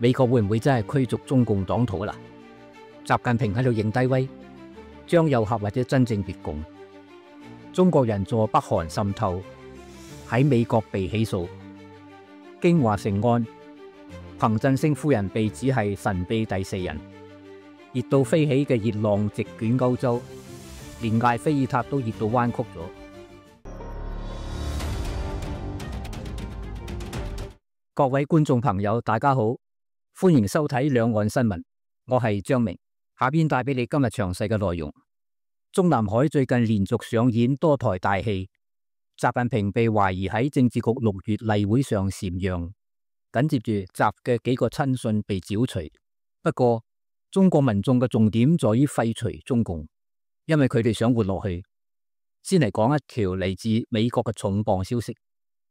美國會唔會真係驅逐中共黨徒啦？習近平喺度認低威，張又俠或者真正越共？中國人助北韓滲透，喺美國被起訴。京華城案，彭振聲夫人被指係神秘第四人。熱到飛起嘅熱浪席捲歐洲，連艾菲爾塔都熱到彎曲咗。各位觀眾朋友，大家好，歡迎收睇兩岸新聞，我係張明，下邊帶俾你今日詳細嘅內容。中南海最近連續上演多台大戲，習近平被懷疑喺政治局6月例會上禪讓，緊接住習嘅幾個親信被剿除。不過中國民眾嘅重點在於廢除中共，因為佢哋想活落去。先嚟講一條嚟自美國嘅重磅消息。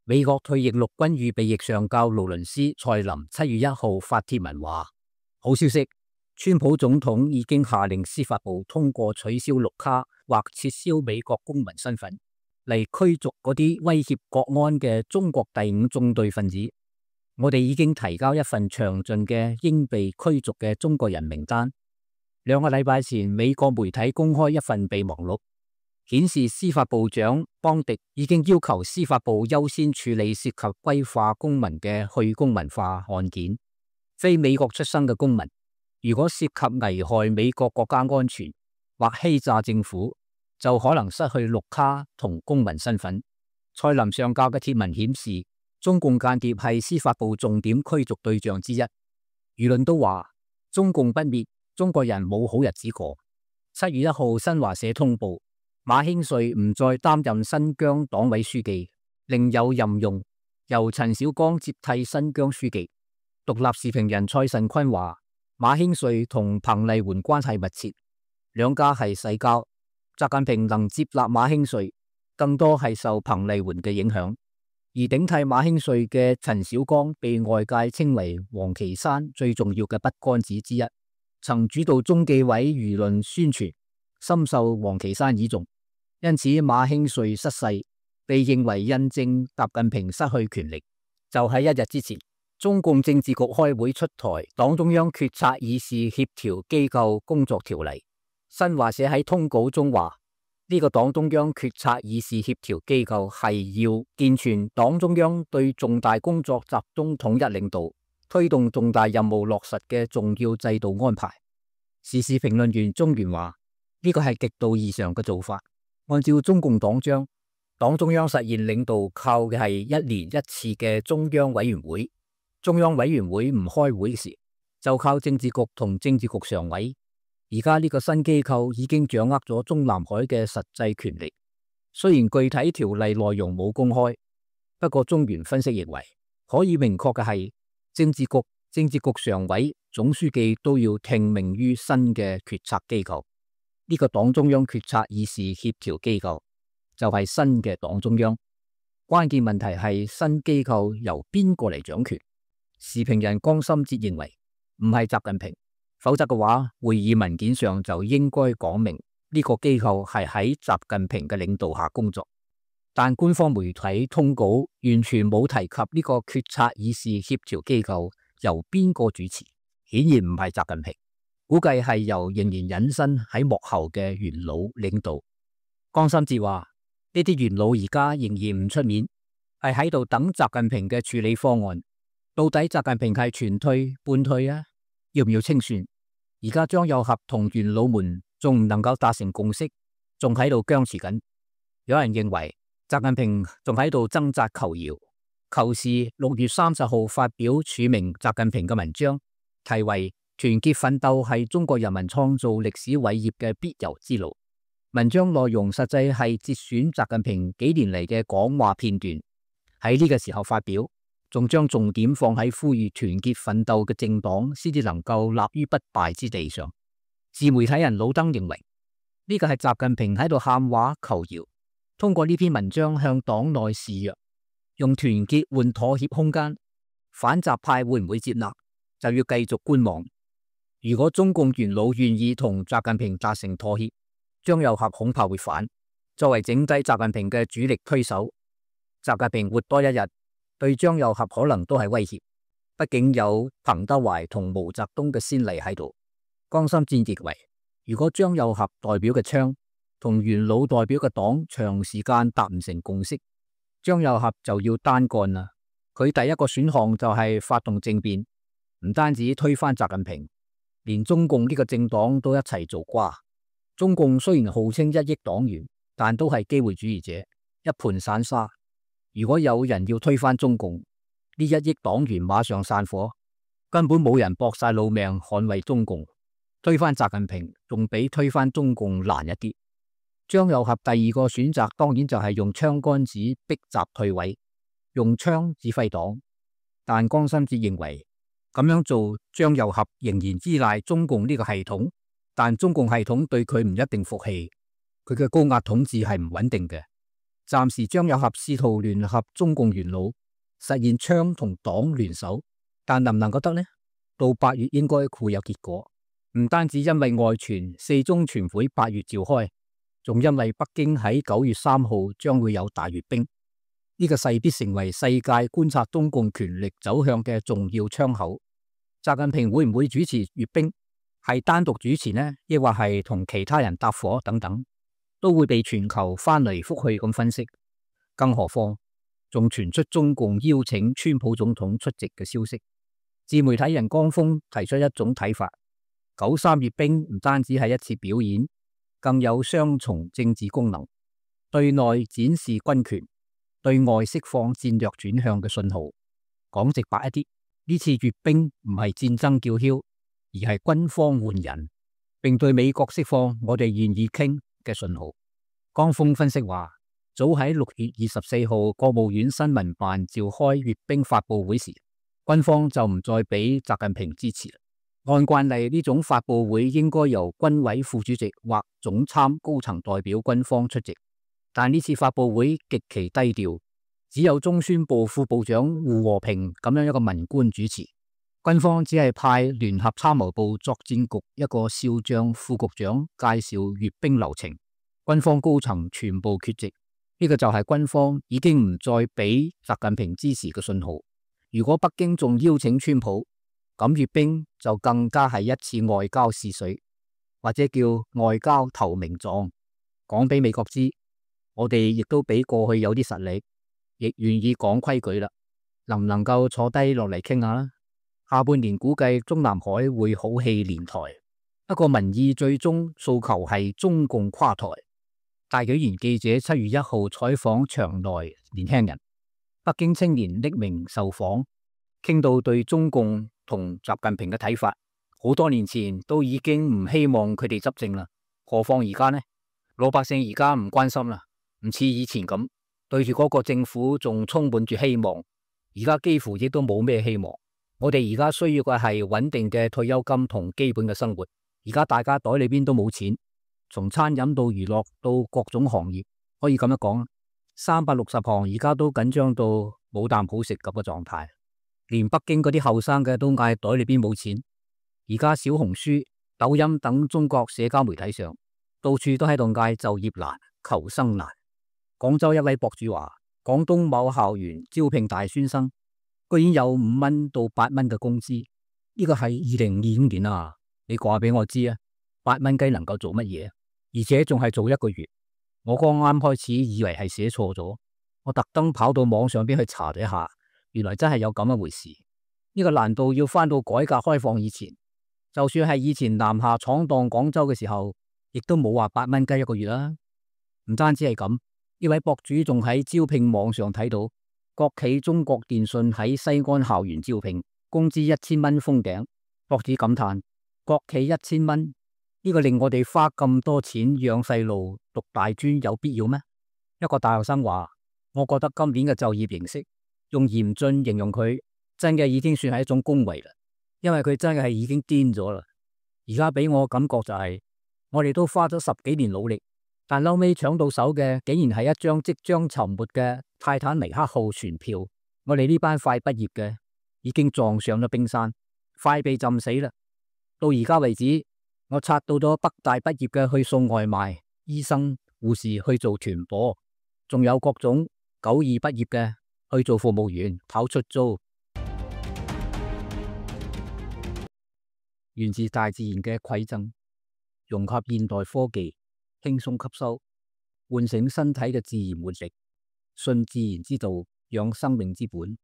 美國退役陸軍預備役上校勞倫斯·蔡林7月1號發帖文話：好消息，川普總統已經下令司法部通過取消綠卡或撤銷美國公民身份，嚟驅逐嗰啲威脅國安嘅中國第5縱隊分子。我哋已經提交一份詳盡嘅應被驅逐嘅中國人名單。2個禮拜前，美國媒體公開一份備忘錄，顯示司法部長邦迪已經要求司法部優先處理涉及歸化公民嘅去公民化案件。非美國出生嘅公民，如果涉及危害美國國家安全或欺詐政府，就可能失去綠卡同公民身份。蔡林上校嘅帖文顯示，中共間諜係司法部重點驅逐對象之一。輿論都話中共不滅，中國人冇好日子過。7月1號，新華社通報馬興瑞唔再擔任新疆黨委書記，另有任用，由陳小剛接替新疆書記。獨立時評人蔡慎坤話，馬興瑞同彭麗媛關係密切，兩家係世交。習近平能接納馬興瑞，更多係受彭麗媛嘅影響。而頂替馬興瑞嘅陳小剛被外界稱為王岐山最重要嘅筆桿子之一，曾主導中紀委輿論宣傳，深受王岐山倚重。因此馬興瑞失勢，被認為印證習近平失去權力。就喺1日之前，中共政治局開會出台黨中央決策議事協調機構工作條例。新華社喺通稿中話，呢個黨中央決策議事協調機構係要健全黨中央對重大工作集中統一領導，推動重大任務落實嘅重要制度安排。時事評論員鍾原話，呢個係極度異常嘅做法。按照中共黨章，黨中央實現領導靠嘅係1年1次嘅中央委員會。中央委員會唔開會時，就靠政治局同政治局常委。而家呢個新機構已經掌握咗中南海嘅實際權力，雖然具體條例內容冇公開，不過中原分析認為，可以明確嘅係政治局常委、總書記都要聽命於新嘅決策機構。呢個黨中央決策議事協調機構就係新嘅黨中央。關鍵問題係新機構由邊個嚟掌權？時評人江心哲認為唔係習近平。否則嘅話，會議文件上就應該講明呢個機構係喺習近平嘅領導下工作。但官方媒體通稿完全冇提及呢個決策議事協調機構由邊個主持，顯然唔係習近平，估計係由仍然隱身喺幕後嘅元老領導。江心哲話，呢啲元老而家仍然唔出面，係喺度等習近平嘅處理方案。到底習近平係全退半退啊？要唔要清算？而家張又俠同元老們仲唔能夠達成共識，仲喺度僵持緊。有人認為習近平仲喺度掙扎求饒。求是6月30號發表署名習近平嘅文章，題為團結奮鬥係中國人民創造歷史偉業嘅必由之路。文章內容實際係節選習近平幾年嚟嘅講話片段，喺呢個時候發表，仲將重點放喺呼籲團結奮鬥嘅政黨先至能夠立於不敗之地上。自媒體人老登認為，呢個係習近平喺度喊話求饒，通過呢篇文章向黨內示弱，用團結換妥協空間。反習派會唔會接納，就要繼續觀望。如果中共元老願意同習近平達成妥協，張又俠恐怕會反，作為整體習近平嘅主力推手。習近平活多一日，對張又俠可能都係威脅。畢竟有彭德懷同毛澤東嘅先例喺度。江心戰認為，如果張又俠代表嘅槍同元老代表嘅黨長時間達唔成共識，張又俠就要單幹啦。佢第一個選項就係發動政變，唔單止推翻習近平，連中共呢個政黨都一齊做瓜。中共雖然號稱1億黨員，但都係機會主義者，一盤散沙。如果有人要推翻中共，呢1億黨員馬上散伙，根本冇人搏晒老命捍衛中共。推翻習近平仲比推翻中共難一啲。張又俠第二個選擇當然就係用槍桿子逼習退位，用槍指揮黨。但江心哲認為咁樣做，張又俠仍然依賴中共呢個系統，但中共系統對佢唔一定服氣，佢嘅高壓統治係唔穩定嘅。暫時張又俠試圖聯合中共元老，實現槍同黨聯手，但能唔能夠得呢？到8月應該會有結果。唔單止因為外傳4中全會8月召開，仲因為北京喺9月3號將會有大閱兵，呢個勢必成為世界觀察中共權力走向嘅重要窗口。習近平會唔會主持閱兵？係單獨主持呢，抑或係同其他人搭伙等等，都會被全球翻嚟覆去咁分析。更何況仲傳出中共邀請川普總統出席嘅消息。自媒體人江峰提出一種睇法：93閱兵唔單止係一次表演，更有雙重政治功能，對內展示軍權，對外釋放戰略轉向嘅信號。講直白一啲，呢次閱兵唔係戰爭叫囂，而係軍方換人，並對美國釋放我哋願意傾嘅信號。江峰分析話，早喺6月24號國務院新聞辦召開閱兵發佈會時，軍方就唔再俾習近平支持。按慣例，呢種發佈會應該由軍委副主席或總參高層代表軍方出席，但呢次發佈會極其低調，只有中宣部副部長胡和平咁樣一個文官主持。軍方只係派聯合參謀部作戰局一個少將副局長介紹閱兵流程，軍方高層全部缺席。呢個就係軍方已經唔再俾習近平支持嘅信號。如果北京仲邀請川普，咁閱兵就更加係一次外交試水，或者叫外交投名狀，講俾美國知，我哋亦都比過去有啲實力，亦願意講規矩啦。能唔能夠坐低落嚟傾下啦？下半年估計中南海會好戲連台，不過民意最終訴求係中共垮台。大紀元記者7月1號採訪場內年輕人，北京青年匿名受訪，傾到對中共同習近平嘅睇法，好多年前都已經唔希望佢哋執政啦，何況而家呢？老百姓而家唔關心啦，唔似以前咁對住嗰個政府仲充滿住希望，而家幾乎亦都冇咩希望。我哋而家需要嘅係穩定嘅退休金同基本嘅生活，而家大家袋裏邊都冇錢，從餐飲到娛樂到各種行業，可以咁樣講，360行而家都緊張到冇啖好食咁嘅狀態。連北京嗰啲後生嘅都嗌袋裏邊冇錢，而家小紅書、抖音等中國社交媒體上，到處都喺度嗌就業難、求生難。廣州一位博主話，廣東某校園招聘大專生，居然有5蚊到8蚊嘅工資，呢個係2025年啊！你話俾我知啊，8蚊雞能夠做乜嘢？而且仲係做1個月。我剛啱開始以為係寫錯咗，我特登跑到網上邊去查咗一下。原來真係有咁一回事，呢個難道要翻到改革開放以前？就算係以前南下闖蕩廣州嘅時候，亦都冇話8蚊雞1個月啦。唔單止係咁，呢位博主仲喺招聘網上睇到國企中國電信喺西安校園招聘，工資1000蚊封頂。博主感嘆：國企1000蚊，呢個令我哋花咁多錢養細路讀大專有必要咩？一個大學生話：我覺得今年嘅就業形式，用嚴峻形容佢，真嘅已經算係一種恭維啦，因為佢真係已經癲咗啦。而家俾我感覺就係，我哋都花咗10幾年努力，但後尾搶到手嘅竟然係一張即將沉沒嘅泰坦尼克號船票。我哋呢班快畢業嘅已經撞上咗冰山，快被浸死啦。到而家為止，我刷到咗北大畢業嘅去送外賣，醫生、護士去做團伙，仲有各種92畢業嘅去做服務員、跑出租。源自大自然嘅饋贈，融合現代科技，輕鬆吸收，喚醒身體嘅自然活力，信自然之道，養生命之本。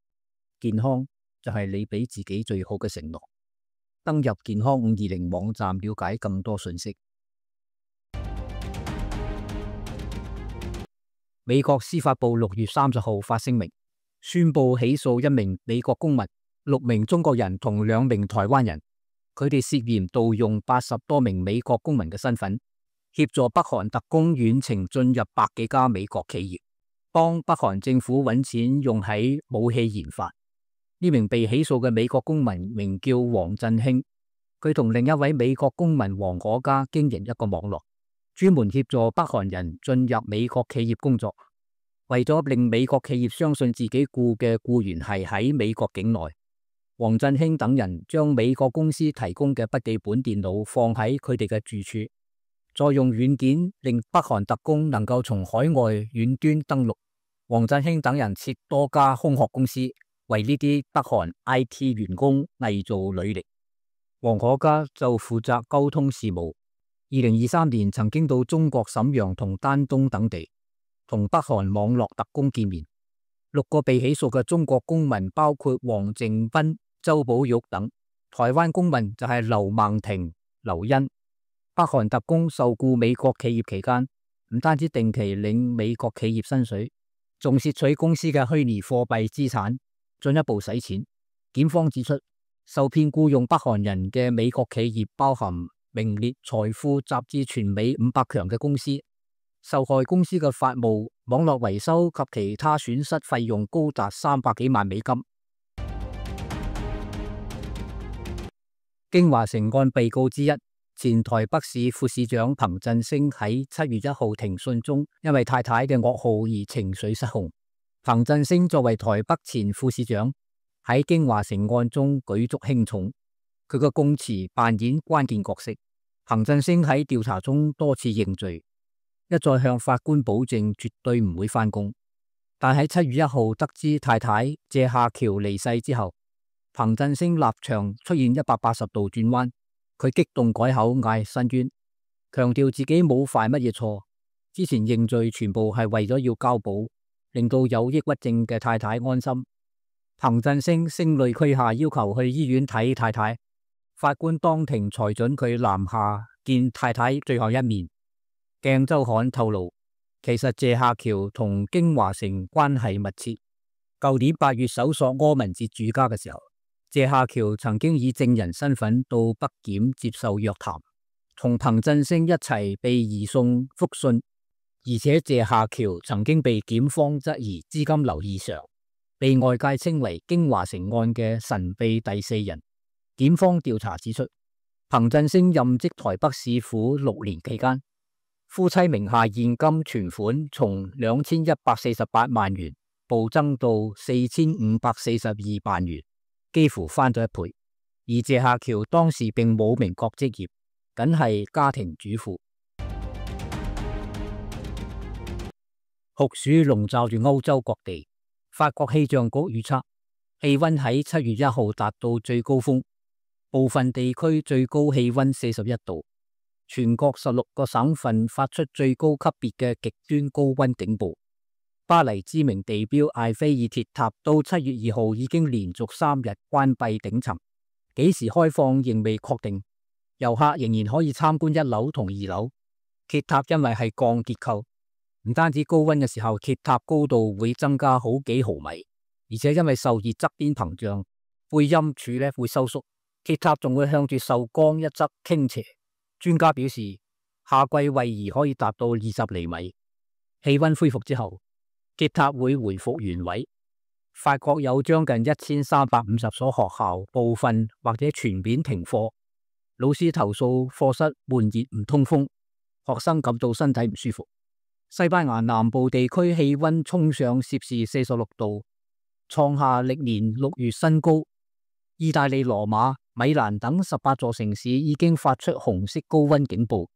健康就係你俾自己最好嘅承諾。登入健康520網站了解更多信息。美國司法部6月30號發聲明，宣布起訴1名美國公民、6名中國人同2名台灣人，佢哋涉嫌盜用80多名美國公民嘅身份，協助北韓特工遠程進入百幾家美國企業，幫北韓政府揾錢用喺武器研發。呢名被起訴嘅美國公民名叫黃振興，佢同另一位美國公民黃可嘉經營一個網絡，專門協助北韓人進入美國企業工作。為咗令美國企業相信自己僱嘅僱員係喺美國境內，黃振興等人將美國公司提供嘅筆記本電腦放喺佢哋嘅住處，再用軟件令北韓特工能夠從海外遠端登錄。黃振興等人設多家空殼公司，為呢啲北韓 IT 員工偽造履歷。黃可嘉就負責溝通事務。2023年曾經到中國瀋陽同丹東等地，同北韓網絡特工見面。6個被起訴嘅中國公民包括黃靖斌、周寶玉等，台灣公民就係劉孟婷、劉欣。北韓特工受僱美國企業期間，唔單止定期領美國企業薪水，仲竊取公司嘅虛擬貨幣資產，進一步洗錢。檢方指出，受騙僱用北韓人嘅美國企業包含名列財富雜誌全美500強嘅公司，受害公司嘅法務、網絡維修及其他損失費用高達300幾萬美金。京華城案被告之一，前台北市副市長彭振聲喺7月1號庭訊中，因為太太嘅噩耗而情緒失控。彭振聲作為台北前副市長，喺京華城案中舉足輕重，佢嘅供詞扮演關鍵角色。彭振聲喺調查中多次認罪，一再向法官保證絕對唔會返工。但喺7月1號得知太太謝夏喬離世之後，彭振聲立場出現180度轉彎，佢激動改口嗌申冤，強調自己冇犯乜嘢錯，之前認罪全部係為咗要交保，令到有抑鬱症嘅太太安心。彭振聲聲淚俱下要求去醫院睇太太，法官當庭裁准佢南下見太太最後一面。鏡週刊透露，其實謝夏喬同京華城關係密切。舊年8月搜索柯文哲住家嘅時候，謝夏喬曾經以證人身份到北檢接受約談，同彭振聲一齊被移送復訊，而且謝夏喬曾經被檢方質疑資金流異常，被外界稱為京華城案嘅神秘第四人。檢方調查指出，彭振聲任職台北市府6年期間，夫妻名下現金存款從2148萬元暴增到4542萬元，幾乎翻咗1倍。而謝夏喬當時並冇明確職業，僅係家庭主婦。酷暑籠罩住歐洲各地，法國氣象局預測氣溫喺7月1號達到最高峰，部分地區最高氣溫41度，全國16個省份發出最高級別嘅極端高溫警報。巴黎知名地標艾菲爾鐵塔到7月2號已經連續3日關閉頂層，幾時開放仍未確定。遊客仍然可以參觀1樓同2樓。鐵塔因為係鋼結構，唔單止高溫嘅時候鐵塔高度會增加好幾毫米，而且因為受熱側邊膨脹，背陰處會收縮，鐵塔仲會向住受光一側傾斜。專家表示，夏季位移可以達到20厘米。氣溫恢復之後，鐵塔會回復原位。法國有將近1350所學校部分或者全面停課，老師投訴課室悶熱唔通風，學生感到身體唔舒服。西班牙南部地區氣溫衝上攝氏46度，創下歷年6月新高。意大利羅馬、米蘭等18座城市已經發出紅色高溫警報。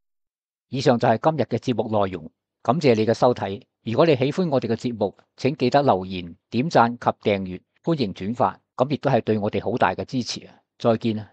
以上就係今日嘅節目內容，感謝你嘅收睇。如果你喜歡我哋嘅節目，請記得留言、點讚及訂閱，歡迎轉發，咁亦都係對我哋好大嘅支持啊！再見啊！